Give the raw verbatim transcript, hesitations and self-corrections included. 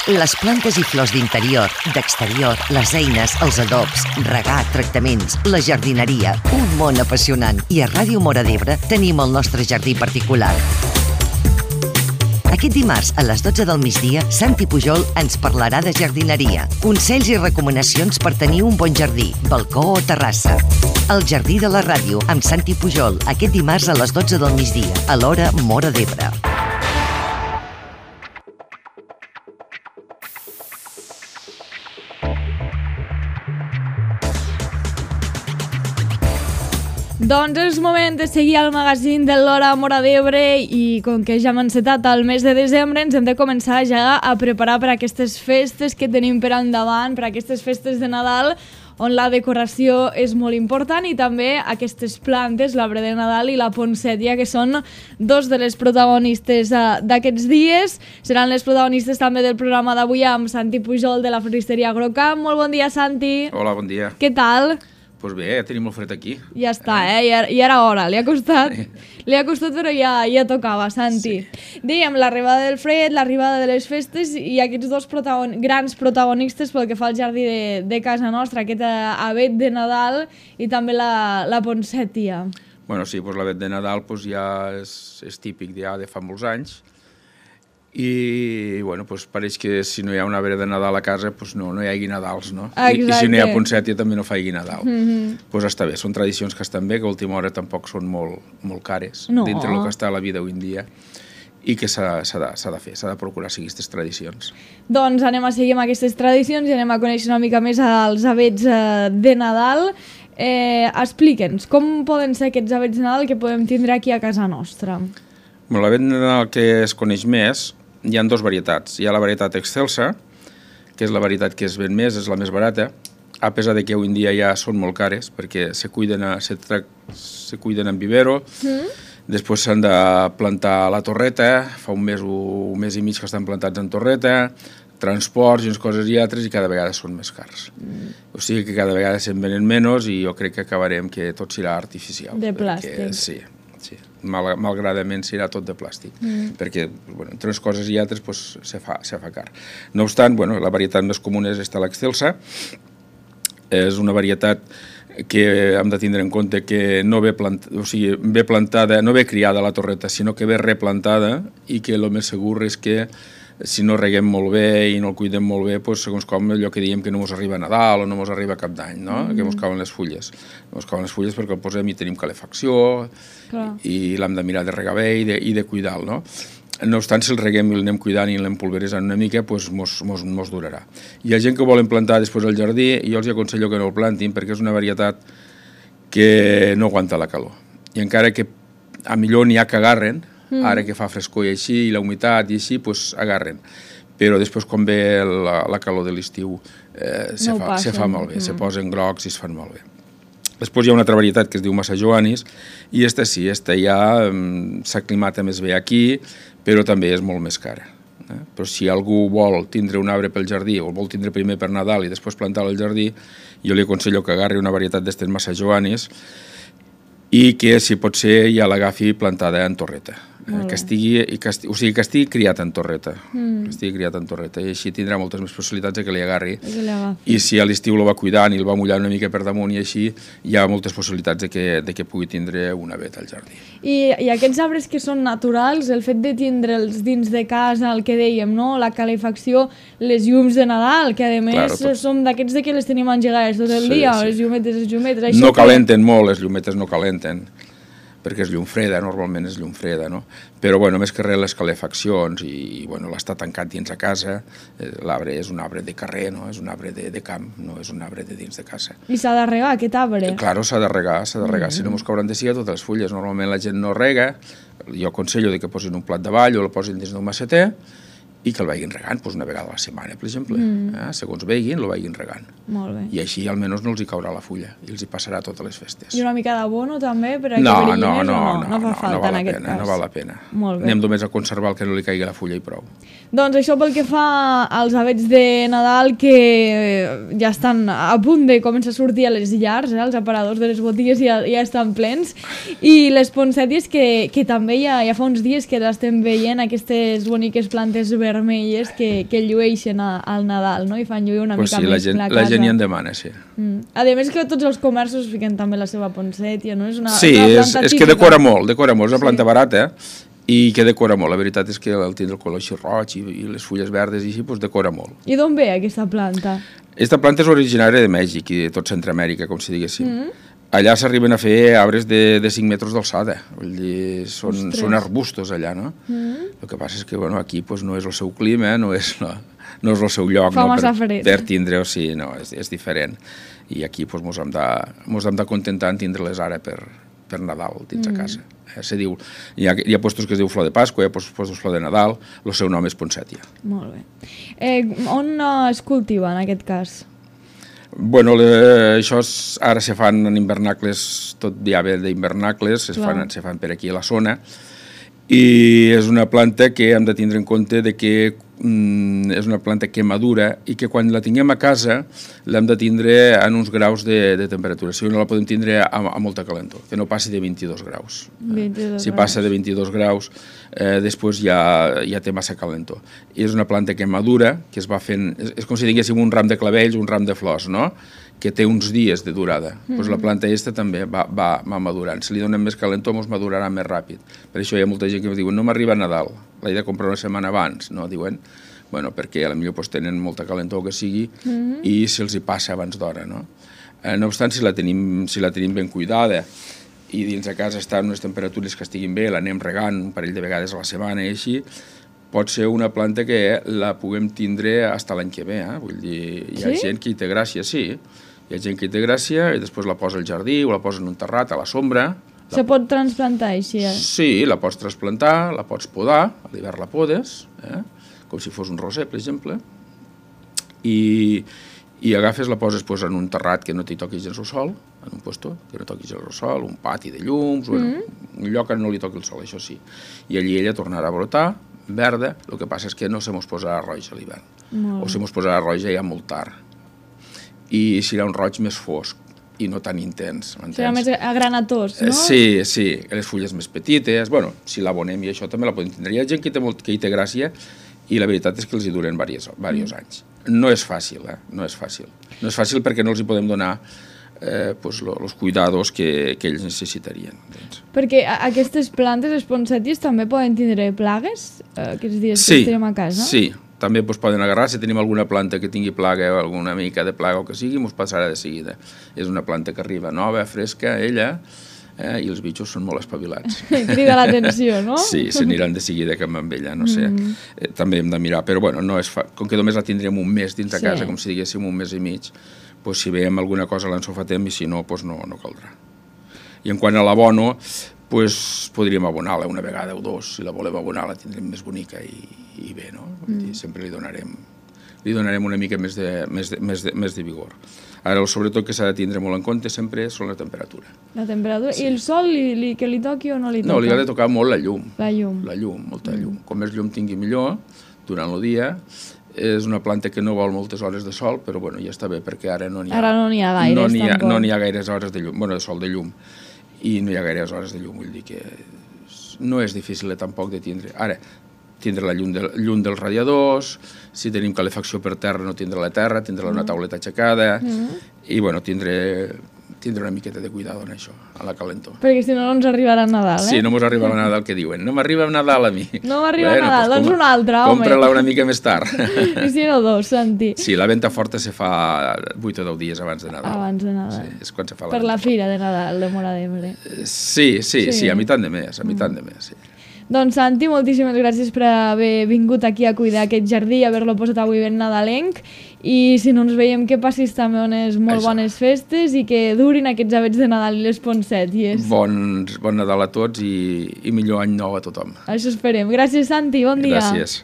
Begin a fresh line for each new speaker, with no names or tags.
Les plantes i flors d'interior, d'exterior, les eines, els adobs, regar, tractaments, la jardineria, un món apassionant. I a Ràdio Móra d'Ebre tenim el nostre jardí particular. Aquest dimarts, a les dotze del migdia, Santi Pujol ens parlarà de jardineria, consells i recomanacions per tenir un bon jardí, balcó o terrassa. El Jardí de la Ràdio, amb Santi Pujol, aquest dimarts a les dotze del migdia, a l'hora Móra d'Ebre.
Doncs és moment de seguir al magazín de l'Hora Móra d'Ebre i com que ja hem encetat el mes de desembre ens hem de començar ja a preparar per a aquestes festes que tenim per endavant, per a aquestes festes de Nadal on la decoració és molt important i també aquestes plantes, l'arbre de Nadal i la poncètia, que són dos de les protagonistes d'aquests dies. Seran les protagonistes també del programa d'avui amb Santi Pujol de la floristeria Agrocamp. Molt bon dia, Santi.
Hola, bon dia.
Què tal?
Doncs bé, ja tenim el fred aquí.
Ja està, eh? Ja, ja era hora. Li ha costat, li ha costat però ja, ja tocava, Santi. Sí. Dèiem, l'arribada del fred, l'arribada de les festes i aquests dos protagon grans protagonistes pel que fa al jardí de, de casa nostra, aquest avet de Nadal i també la, la poncètia.
Bueno, sí, doncs l'avet de Nadal doncs ja és, és típic ja de fa molts anys. I bueno, doncs pareix que si no hi ha un arbre de Nadal a casa doncs no, no hi hagi Nadals, no? I, I si no hi ha poncètia també no faci Nadal. Mm-hmm. Doncs està bé, són tradicions que estan bé, que a última hora tampoc són molt, molt cares no. dintre del que està a la vida avui en dia i que s'ha de, de fer, s'ha de procurar seguir aquestes tradicions.
Doncs anem a seguir amb aquestes tradicions i anem a conèixer una mica més els avets de Nadal. Eh, Explica'ns, com poden ser aquests avets de Nadal que podem tindre aquí a casa nostra?
Bueno, l'avet de Nadal que es coneix més hi ha dues varietats. Hi ha la varietat excelsa, que és la varietat que es ven més, és la més barata, a pesar de que avui en dia ja són molt cares, perquè se cuiden, a, se, tra se cuiden en vivero, mm. després s'han de plantar a la torreta, fa un mes o un mes i mig que estan plantats en torreta, transports i unes coses i altres, i cada vegada són més cars. Mm. O sigui que cada vegada se'n venen menys i jo crec que acabarem que tot serà artificial.
De plàstic.
Perquè, sí. Sí, Mal, malgradament serà tot de plàstic, mm. perquè bueno, entre unes coses i altres pues, se, fa, se fa car. No obstant, bueno, la varietat més comuna és esta l'excelsa, és una varietat que hem de tindre en compte que no ve, plant, o sigui, ve plantada, no ve criada a la torreta, sinó que ve replantada i que el més segur és que si no reguem molt bé i no el cuidem molt bé, doncs, segons com allò que diem que no ens arriba a Nadal o no ens arriba a Cap d'Any, no? Mm. que ens cauen les fulles. Ens cauen les fulles perquè el posem i tenim calefacció Clar. i l'hem de mirar de regar bé i de, i de cuidar-lo, no? No obstant, si el reguem i l'anem cuidant i l'anem pulveritzant una mica, doncs mos, mos, mos durarà. I hi ha gent que volen plantar després al jardí i jo els aconsello que no el plantin perquè és una varietat que no aguanta la calor. I encara que a millor n'hi ha que agarren, Mm. ara que fa frescor i així, i la humitat i així, doncs agarren. Però després, quan ve la, la calor de l'estiu, eh, se, no fa, se fa molt bé, mm. se posen grocs i es fan molt bé. Després hi ha una altra varietat que es diu Massa Joanis, i esta sí, esta ja um, s'aclimata més bé aquí, però també és molt més cara. Eh? Però si algú vol tindre un arbre pel jardí, o el vol tindre primer per Nadal i després plantar-lo al jardí, jo li aconsello que agarri una varietat d'estes Massa Joanis i que, si pot ser, ja l'agafi plantada en torreta. Que estigui, que estigui, o sigui, que estigui criat en torreta, mm. que estigui criat en torreta, i així tindrà moltes més possibilitats de que li agarri. I, I si a l'estiu el va cuidant i el va mullar una mica per damunt i així, hi ha moltes possibilitats de que, de que pugui tindre un avet al jardí.
I, I aquests arbres que són naturals, el fet de tindre'ls dins de casa, el que dèiem, no? La calefacció, les llums de Nadal, que a més claro, tots... som d'aquests de que les tenim engegades tot el sí, dia, sí. les llumetes, les llumetes...
Això no calenten que... molt, les llumetes no calenten, perquè és llum freda, normalment és llum freda, no? Però, bueno, més que res les calefaccions i, bueno, l'estar tancat dins a casa, eh, l'arbre és un arbre de carrer, no? És un arbre de, de camp, no és un arbre de dins de casa.
I s'ha de regar, aquest arbre?
Eh, claro, s'ha de regar, s'ha de regar, mm. si no mos cauran de siga totes les fulles. Normalment la gent no rega, jo aconsello que posin un plat davall o el posin dins d'un maceter, i que el vagin regant doncs, una vegada a la setmana, per exemple. Mm. Eh? Segons vegin, el vagin regant.
Molt bé.
I així almenys no els hi caurà la fulla i els hi passarà totes les festes.
I una mica d'abono també? Per a
no,
que
no, no,
no,
no,
no fa falta
no val
en aquest
pena,
cas.
No val la pena.
Molt bé.
Anem només a conservar el que no li caigui la fulla i prou.
Doncs això pel que fa als avets de Nadal que ja estan a punt de començar a sortir a les llars, eh? Els aparadors de les botigues ja, ja estan plens, i les poncèties que, que també ja, ja fa uns dies que l'estem veient, aquestes boniques plantes verdes vermelles que, que llueixen a, al Nadal, no? I fan lluir una
pues
mica
sí,
més
la gent,
la casa.
La gent hi en demana, sí.
Mm. A més que tots els comerços fiquen també la seva ponsètia, no? És una,
sí,
una
és,
planta
és
típica.
que decora molt, decora molt, és una planta
Sí.
barata, i que decora molt. La veritat és que el tindre el color així roig i, i les fulles verdes i així, doncs decora molt.
I d'on ve aquesta planta?
Aquesta planta és originària de Mèxic i de tot Centroamèrica, com si diguéssim.
Mm.
Allà s'arriben a fer arbres de, de cinc metres d'alçada, vull dir, són,
Ostres.
són arbustos allà, no?
Mm.
El que passa és que, bueno, aquí pues, no és el seu clima, no és, la, no és el seu lloc,
Fa
no?
massa
per,
fred.
per tindre-ho, sí, no, és, és diferent. I aquí pues, mos hem de, mos hem de contentar en tindre-les ara per, per Nadal dins mm. a casa. Eh, se diu, hi, ha, hi ha puestos que es diu flor de Pasqua, hi ha puestos flor de Nadal, el seu nom és ponsètia.
Molt bé. Eh, on eh, es cultiva, en aquest cas?
Bueno, le, això és, ara se fan en invernacles, tot ja ve d'hivernacles, se fan, se fan per aquí a la zona, i és una planta que hem de tindre en compte de que mm, és una planta que madura i que quan la tinguem a casa l'hem de tindre en uns graus de, de temperatura, si no la podem tindre a, a molta calentor, que no passi de vint-i-dos graus.
vint-i-dos
si
graus.
passa de vint-i-dos graus, eh, després ja, ja té massa calentor. I és una planta que madura, que es va fent, és, és com si diguéssim un ram de clavells, un ram de flors, no?, que té uns dies de durada. Mm. Pues la planta aquesta també va, va, va madurant. Si li donem més calentor, ens madurarà més ràpid. Per això hi ha molta gent que diu, no m'arriba a Nadal, l'he de comprar una setmana abans, no? Diuen, bueno, perquè potser pues, tenen molta calentor que sigui mm. i se'ls hi passa abans d'hora, no? Eh, no obstant, si la, tenim, si la tenim ben cuidada i dins de casa està en unes temperatures que estiguin bé, l'anem regant un parell de vegades a la setmana i així, pot ser una planta que la puguem tindre fins l'any que ve, eh? Vull dir, hi ha
sí?
gent que hi té gràcia, sí, hi ha gent que hi té gràcia i després la posa al jardí o la posa en un terrat a la sombra.
Se pot transplantar així? Eh?
Sí, la pots trasplantar, la pots podar, a l'hivern la podes, eh? com si fos un roser, per exemple, i, i agafes, la poses pues, en un terrat que no t'hi toqui gens el sol, en un puesto que no toqui gens el sol, un pati de llums, mm. bueno, un lloc que no li toqui el sol, això sí. I allí ella tornarà a brotar, verda, el que passa és que no se mos posarà roja a l'hivern, o se mos posarà roja ja molt tard. I serà un roig més fosc i no tan intens.
Serà més agranatós, no?
Eh, sí, sí, les fulles més petites, bueno, si l'abonem i això també la podem tindre. Hi ha gent que, té molt, que hi té gràcia i la veritat és que els hi duren diversos, diversos mm. anys. No és fàcil, eh? No és fàcil. No és fàcil perquè no els hi podem donar eh, pues, lo, los cuidados que, que ells necessitarien. Doncs.
Perquè aquestes plantes, les ponsèties, també poden tindre plagues eh, aquests dies
sí,
que estarem a casa?
Sí, també pues, poden agarrar, si tenim alguna planta que tingui plaga o alguna mica de plaga o que sigui, ens passarà de seguida. És una planta que arriba nova, fresca, ella, eh, i els bitxos són molt espavilats.
Crida l'atenció, no?
Sí, s'aniran de seguida cap amb ella, no sé. Mm. Eh, també hem de mirar, però bueno, no és fa... com que només la tindrem un mes dins de casa, sí. com si diguéssim un mes i mig, pues, si veiem alguna cosa l'ensofatem i si no, pues, no, no caldrà. I en quant a l'abono, pues, podríem abonar-la una vegada o dos. Si la volem abonar la tindrem més bonica i, i bé, no? Mm. Sempre li donarem, li donarem una mica més de, més de, més de, més de vigor. Ara, sobretot que s'ha de tindre molt en compte sempre són la temperatura.
La temperatura. Sí. I el sol, li, li, que li toqui o no li toca?
No, li ha de tocar molt la llum.
La llum.
La llum, molta mm. llum. Com més llum tingui millor, durant el dia. És una planta que no vol moltes hores de sol, però bueno, ja està bé, perquè ara no n'hi ha...
Ara no n'hi ha gaires,
no n'hi ha,
tampoc.
No n'hi ha gaires hores de llum, bueno, de sol de llum. I no hi ha gaires hores de llum, vull dir que no és difícil tampoc de tindre. Ara, tindre la llum, de, llum dels radiadors, si tenim calefacció per terra no tindre la terra, tindre una tauleta aixecada, mm. i bueno, tindre, tindre una miqueta de cuidado en això, a la calentor.
Perquè si no, no ens arribarà Nadal, eh?
Sí, no ens arribarà Nadal, que diuen. No m'arriba Nadal a mi.
No m'arriba
bueno,
Nadal, doncs, doncs un altre, home.
Compra-la una mica més tard.
I si no, dos, Santi.
Sí, la venta forta se fa vuit o deu dies abans de Nadal.
Abans de Nadal.
Sí, és quan se fa
per
la
la
forta.
fira de Nadal de Móra d'Ebre.
Sí, sí, sí, sí, a mitjan de mes, a mitjan de mes, sí.
Doncs, Santi, moltíssimes gràcies per haver vingut aquí a cuidar aquest jardí i haver-lo posat avui ben nadalenc. I si no ens veiem, que passis també unes molt Això. bones festes i que durin aquests avets de Nadal i les ponsèties.
Bon, bon Nadal a tots i, i millor any nou a tothom.
Això esperem. Gràcies, Santi, bon dia.
Gràcies.